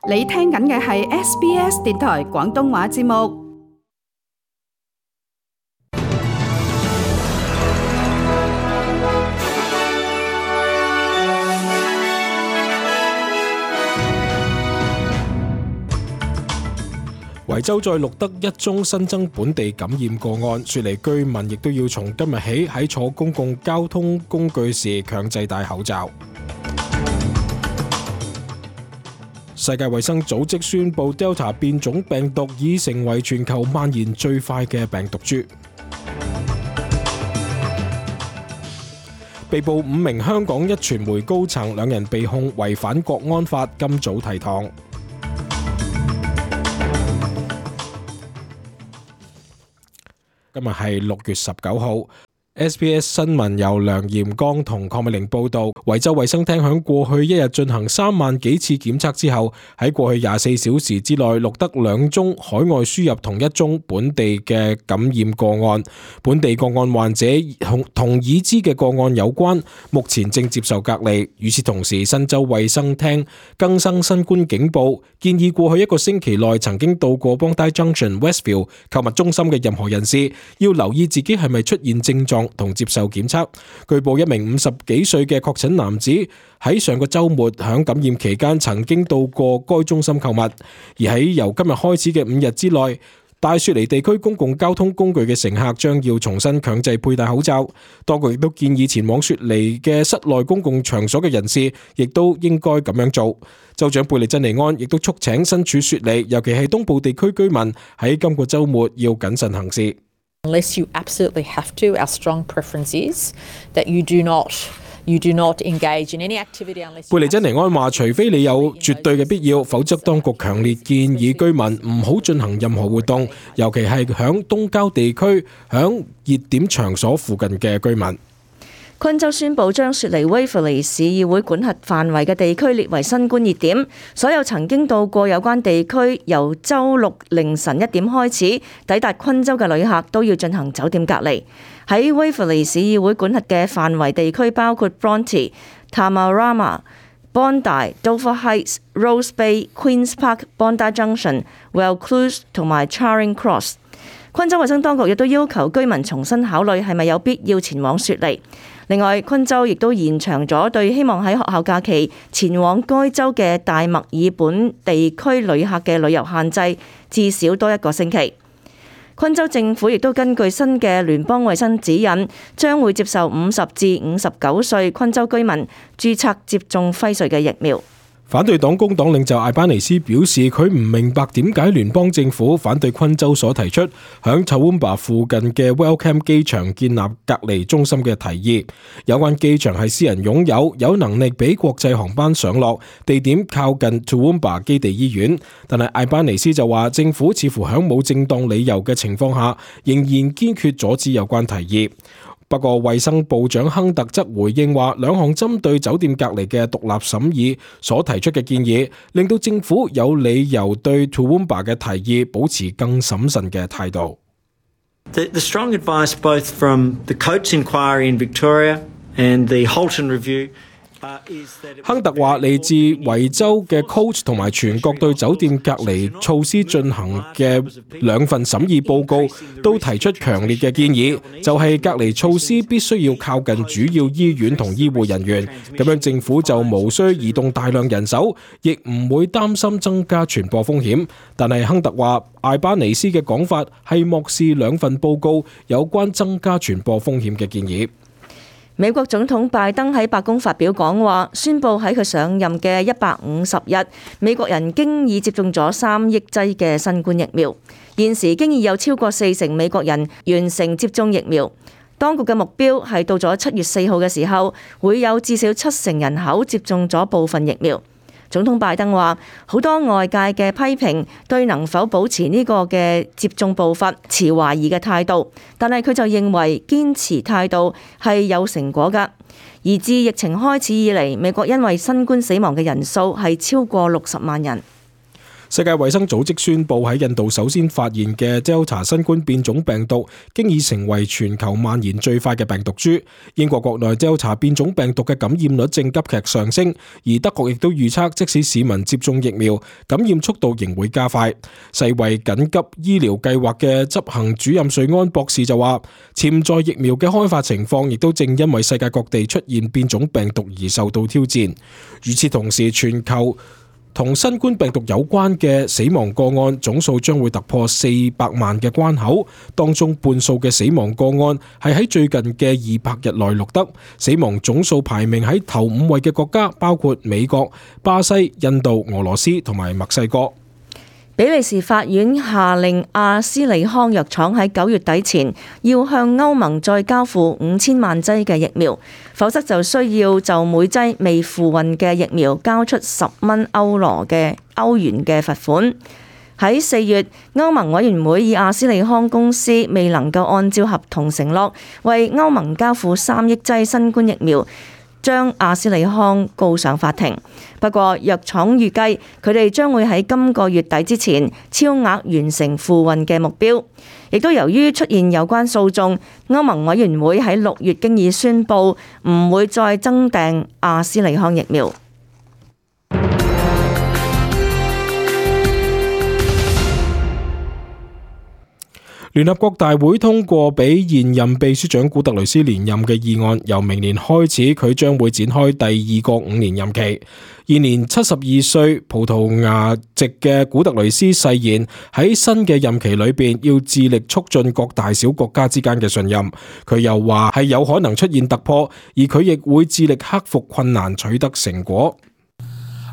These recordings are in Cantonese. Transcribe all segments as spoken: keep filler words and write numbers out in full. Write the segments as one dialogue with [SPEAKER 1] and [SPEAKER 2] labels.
[SPEAKER 1] 你聽緊嘅係 S B S 電台廣東話節目。
[SPEAKER 2] 維州再錄得一宗新增本地感染個案，雪梨居民亦都要從今日起喺坐公共交通工具時強制戴口罩。世界衛生組織宣布 Delta 變種病毒已成為全球蔓延最快嘅病毒株。被捕五名香港壹傳媒高層，兩人被控違反國安法，今早提堂。今日係六月十九號。S B S 新聞由梁炎剛同鄺美玲報道，維州衛生廳響過去一日進行三萬幾次檢測之後，喺過去廿四小時之內錄得兩宗海外輸入同一宗本地嘅感染個案。本地個案患者同同已知嘅個案有關，目前正接受隔離。與此同時，新州衛生廳更新新冠警報，建議過去一個星期內曾經到過 Bondi Junction、Westfield 購物中心嘅任何人士，要留意自己係咪出現症狀同接受檢測。據報一名五十幾歲嘅確診男子喺上個週末響感染期間曾經到過該中心購物，而喺由今日開始嘅五日之內，大雪梨地區公共交通工具嘅乘客將要重新強制佩戴口罩。當局亦都建議前往雪梨嘅室內公共場所嘅人士，亦都應該咁樣做。州長貝利珍尼安亦都促請身處雪梨，尤其係東部地區居民喺今個週末要謹慎行事。
[SPEAKER 3] Unless you absolutely have to, our strong preference is that you do not, you do not engage in any activity unless.
[SPEAKER 2] 貝利珍尼安話，除非你有絕對嘅必要，否則當局強烈建議居民唔好進行任何活動，尤其係響東郊地區、響熱點場所附近嘅居民。
[SPEAKER 4] 昆州宣布將雪梨威弗利市議會管轄範圍嘅地區列為新冠熱點，所有曾經到過有關地區由週六凌晨一點開始抵達昆州嘅旅客都要進行酒店隔離。喺威弗利市議會管轄嘅範圍地區包括 Bronte、Tamarama、Bondi、Dover Heights、Rose Bay、Queens Park、Bondi Junction、Vaucluse 同埋 Charing Cross。昆州衛生當局亦都要求居民重新考慮係咪有必要前往雪梨。另外，昆州亦都延長咗對希望喺學校假期前往該州嘅大墨爾本地區旅客嘅旅遊限制，至少多一個星期。昆州政府亦都根據新嘅聯邦衛生指引，將會接受五十至五十九歲昆州居民註冊接種輝瑞嘅疫苗。
[SPEAKER 2] 反對黨工黨領袖艾班尼斯表示，佢唔明白點解聯邦政府反對昆州所提出響 Toowoomba 附近嘅 Wellcome 機場建立隔離中心嘅提議。有關機場係私人擁有，有能力俾國際航班上落，地點靠近 Toowoomba 基地醫院。但係艾班尼斯就話，政府似乎響冇正當理由嘅情況下，仍然堅決阻止有關提議。不過，衛生部長亨特則回應話，兩項針對酒店隔離嘅獨立審議所提出嘅建議，令到政府有理由對 Toowoomba 嘅提議保持更審慎嘅態度。
[SPEAKER 5] The, the strong advice both from the Coates Inquiry in Victoria and the Halton Review。
[SPEAKER 2] 亨特話，嚟自維州嘅 Coates 同埋全國對酒店隔離措施進行嘅兩份審議報告都提出強烈嘅建議，就係隔離措施必須要靠近主要醫院同醫護人員，咁樣政府就無需移動大量人手，亦唔會擔心增加傳播風險。但係亨特話，艾班尼斯嘅講法係漠視兩份報告有關增加傳播風險嘅建議。
[SPEAKER 4] 美國總統拜登喺白宮發表講話，宣布喺佢上任嘅一百五十日，美國人經已接種咗三億劑嘅新冠疫苗。現時經已有超過四成美國人完成接種疫苗。當局嘅目標係到咗七月四號嘅時候，會有至少七成人口接種咗部分疫苗。總統拜登話，好多外界嘅批評對能否保持呢個嘅接種步伐持懷疑嘅態度，但係佢就認為堅持態度係有成果㗎。而自疫情開始以嚟，美國因為新冠死亡嘅人數係超過六十萬人。
[SPEAKER 2] 世界衛生組織宣布喺印度首先發現嘅 Delta 新冠變種病毒，經已成為全球蔓延最快嘅病毒株。英國國內 Delta 變種病毒嘅感染率正急劇上升，而德國亦都預測，即使市民接種疫苗，感染速度仍會加快。世衛緊急醫療計劃嘅執行主任瑞安博士就話，潛在疫苗嘅開發情況亦都正因為世界各地出現變種病毒而受到挑戰。與此同時，全球同新冠病毒有關嘅死亡個案總數將會突破四百萬嘅關口，當中半數嘅死亡個案係喺最近嘅二百日內錄得。死亡總數排名喺頭五位嘅國家包括美國、巴西、印度、俄羅斯同埋墨西哥。
[SPEAKER 4] 比利時法院下令阿斯利康藥廠喺九月底前要向歐盟再交付五千萬劑嘅疫苗，否則就需要就每劑未付運嘅疫苗交出十蚊歐羅嘅歐元嘅罰款。喺四月，歐盟委員會以阿斯利康公司未能夠按照合同承諾為歐盟交付三億劑新冠疫苗，將阿斯利康告上法庭。不過藥廠預計佢哋將會喺今個月底之前超額完成付運嘅目標。亦都由於出現有關訴訟，歐盟委員會喺六月經已宣布唔會再增訂阿斯利康疫苗。
[SPEAKER 2] 聯合國大會通過俾現任秘書長古特雷斯連任嘅議案，由明年開始佢將會展開第二個五年任期。現年七十二歲葡萄牙籍嘅古特雷斯誓言喺新嘅任期裏邊要致力促進各大小國家之間嘅信任。佢又話係有可能出現突破，而佢亦會致力克服困難，取得成果。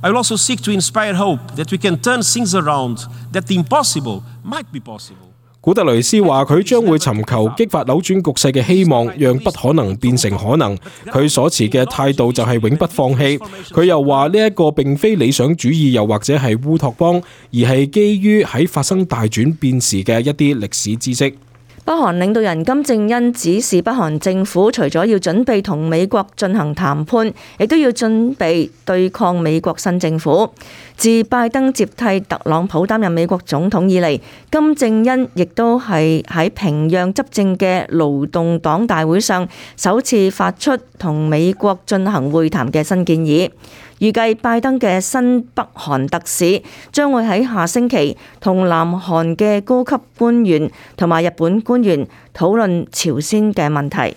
[SPEAKER 6] I will also seek to inspire hope that we can turn things around, that the impossible might be possible.
[SPEAKER 2] 古特雷斯話佢將會尋求激發扭轉局勢嘅希望，讓不可能變成可能。佢所持嘅態度就係永不放棄。佢又話呢一個並非理想主義，又或者係烏托邦，而係基於喺發生大轉變時嘅一啲歷史知識。
[SPEAKER 4] 北韓領導人金正恩指示北韓政府，除咗要準備同美國進行談判，亦都要準備對抗美國新政府。自拜登接替特朗普擔任美國總統以嚟，金正恩亦都係喺平壤執政嘅勞動黨大會上首次發出同美國進行會談嘅新建議。預計拜登嘅新北韓特使將會喺下星期同南韓嘅高級官員同埋日本官員討論朝鮮嘅問題。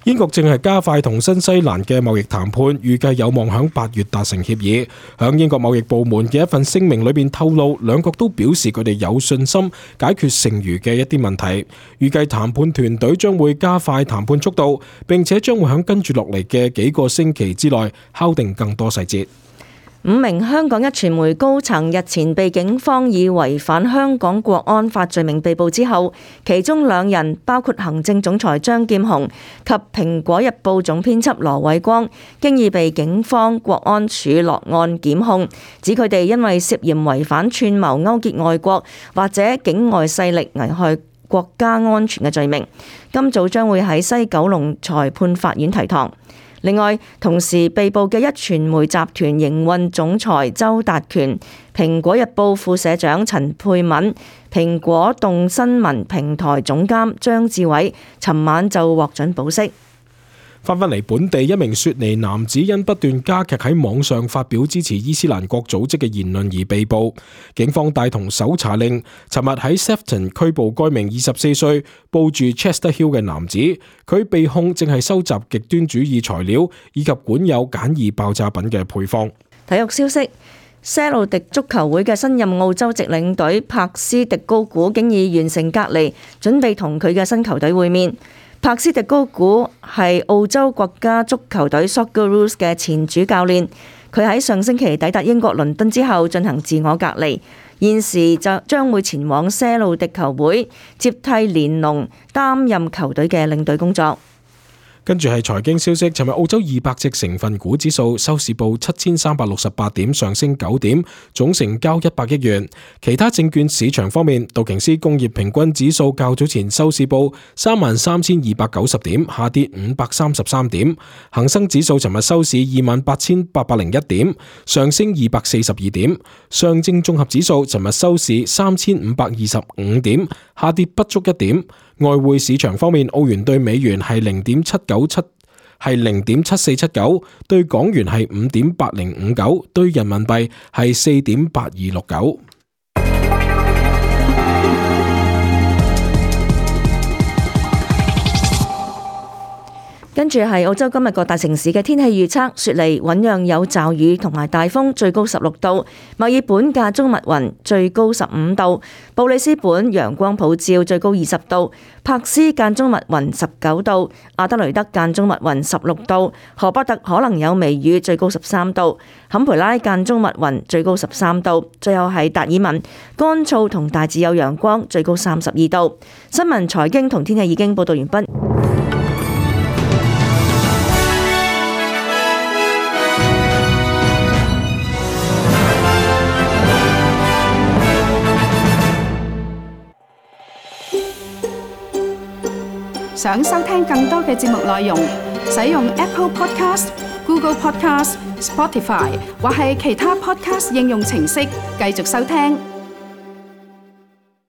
[SPEAKER 2] 英國正係加快同新西蘭嘅貿易談判，預計有望響八月達成協議。響英國貿易部門嘅一份聲明裏邊透露，兩國都表示佢哋有信心解決剩餘嘅一啲問題。預計談判團隊將會加快談判速度，並且將會響跟住落嚟嘅幾個星期之內敲定更多細節。
[SPEAKER 4] 五名香港一傳媒高層日前被警方以違反香港國安法罪名被捕之後，其中兩人包括行政總裁張劍虹及蘋果日報總編輯羅偉光，經已被警方國安處落案檢控，指佢哋因為涉嫌違反串謀勾結外國或者境外勢力危害國家安全嘅罪名，今早將會喺西九龍裁判法院提堂。另外，同時被捕嘅一傳媒集團營運總裁周達權、蘋果日報副社長陳佩敏、蘋果動新聞平台總監張志偉，尋晚就獲准保釋。
[SPEAKER 2] 翻返嚟本地，一名雪梨男子因不斷加劇喺網上發表支持伊斯蘭國組織嘅言論而被捕。警方帶同搜查令，尋日喺 Sefton 拘捕該名二十四歲報住 Chester Hill 嘅男子。佢被控正係收集極端主義材料以及管有簡易爆炸品嘅配方。
[SPEAKER 4] 體育消息：些路迪足球會嘅新任澳洲籍領隊柏斯迪高古經已完成隔離，準備同佢嘅新球隊會面。柏斯迪高古係澳洲國家足球隊 Socceroos 嘅前主教練，佢喺上星期抵達英國倫敦之後進行自我隔離，現時就將會前往些路迪球會接替連龍擔任球隊嘅領隊工作。
[SPEAKER 2] 跟住係財經消息，尋日澳洲二百隻成分股指數收市報七千三百六十八點，上升九點，總成交一百億元。其他證券市場方面，道瓊斯工業平均指數較早前收市報三萬三千二百九十點，下跌五百三十三點。恒生指數尋日收市二萬八千八百零一點，上升二百四十二點。上證綜合指數尋日收市三千五百二十五點，下跌不足一點。外匯市場方面，澳元對美元係零點七九七，係零點七四七九，對港元係五點八零五九，對人民幣係四點八二六九。
[SPEAKER 4] 跟住係澳洲今日各大城市嘅天氣預測：雪梨醞釀有驟雨同埋大風，最高十六度；墨爾本間中密雲，最高十五度；布里斯本陽光普照，最高二十度；柏斯間中密雲，十九度；阿德雷德間中密雲，十六度；荷伯特可能有微雨，最高十三度；坎培拉間中密雲，最高十三度；最後係達爾文乾燥同大致有陽光，最高三十二度。新聞、財經同天氣已經報道完畢。
[SPEAKER 1] 想收聽更多嘅節目內容，使用 Apple Podcast、Google Podcast、Spotify 或係其他 Podcast 應用程式繼續收聽。